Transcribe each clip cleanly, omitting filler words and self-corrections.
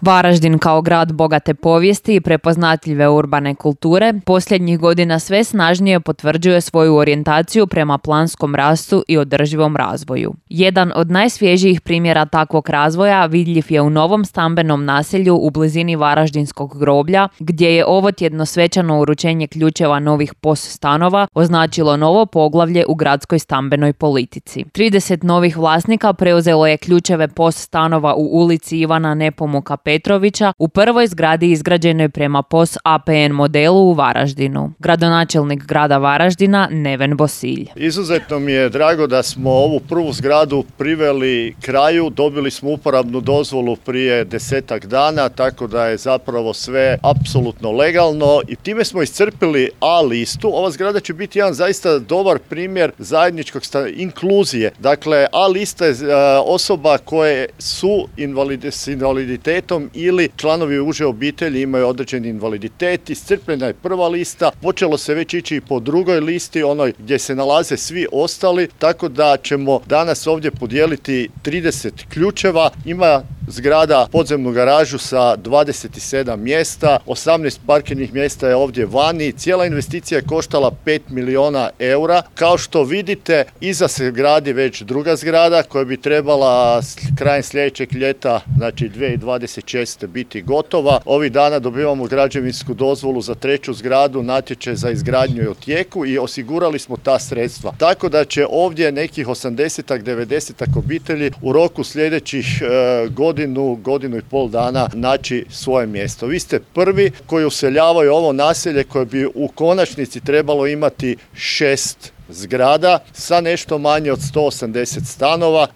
Varaždin kao grad bogate povijesti i prepoznatljive urbane kulture posljednjih godina sve snažnije potvrđuje svoju orijentaciju prema planskom rastu i održivom razvoju. Jedan od najsvježijih primjera takvog razvoja vidljiv je u novom stambenom naselju u blizini Varaždinskog groblja, gdje je ovotjedno svečano uručenje ključeva novih POS stanova označilo novo poglavlje u gradskoj stambenoj politici. 30 novih vlasnika preuzelo je ključeve POS stanova u ulici Ivana Nepomuka Petrovića u prvoj zgradi izgrađenoj prema POS APN modelu u Varaždinu. Gradonačelnik grada Varaždina Neven Bosilj. Izuzetno mi je drago da smo ovu prvu zgradu priveli kraju. Dobili smo uporabnu dozvolu prije 10 dana, tako da je zapravo sve apsolutno legalno i time smo iscrpili A listu. Ova zgrada će biti jedan zaista dobar primjer zajedničkog inkluzije. Dakle, A lista je osoba koje su s invaliditetom ili članovi uže obitelji imaju određeni invaliditet. Iscrpljena je prva lista, počelo se već ići i po drugoj listi, onoj gdje se nalaze svi ostali, tako da ćemo danas ovdje podijeliti 30 ključeva. Ima zgrada podzemnu garažu sa 27 mjesta, 18 parkirnih mjesta je ovdje vani. Cijela investicija je koštala 5 milijuna eura. Kao što vidite, iza se gradi već druga zgrada koja bi trebala krajem sljedećeg ljeta, znači 2026. biti gotova. Ovih dana dobivamo građevinsku dozvolu za treću zgradu, natječaj za izgradnju je u tijeku i osigurali smo ta sredstva. Tako da će ovdje nekih 80-ak, 90-ak obitelji u roku sljedećih godinu i pol dana naći svoje mjesto. Vi ste prvi koji useljavaju ovo naselje koje bi u konačnici trebalo imati 6 zgrada sa nešto manje od 180 stanova.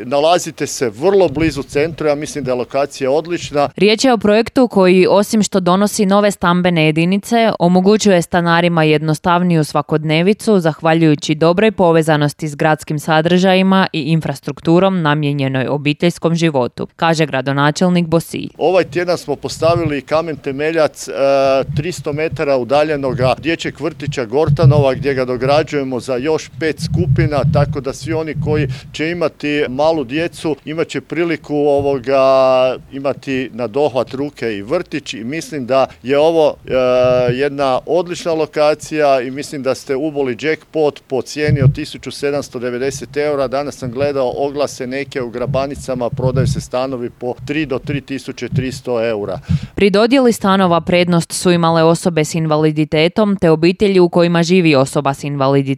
Nalazite se vrlo blizu centra, ja mislim da je lokacija odlična. Riječ je o projektu koji, osim što donosi nove stambene jedinice, omogućuje stanarima jednostavniju svakodnevicu zahvaljujući dobroj povezanosti s gradskim sadržajima i infrastrukturom namijenjenoj obiteljskom životu, kaže gradonačelnik Bosilj. Ovaj tjedan smo postavili kamen temeljac 300 metara udaljenoga dječjeg vrtića Gortanova gdje ga dograđujemo za još 5 skupina, tako da svi oni koji će imati malu djecu imat će priliku imati na dohvat ruke i vrtić i mislim da je ovo jedna odlična lokacija i mislim da ste uboli jackpot po cijeni od 1790 eura. Danas sam gledao oglase neke u Grabanicama, prodaju se stanovi po 3 do 3300 eura. Pri dodjeli stanova prednost su imale osobe s invaliditetom te obitelji u kojima živi osoba s invaliditetom,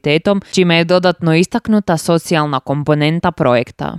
čime je dodatno istaknuta socijalna komponenta projekta.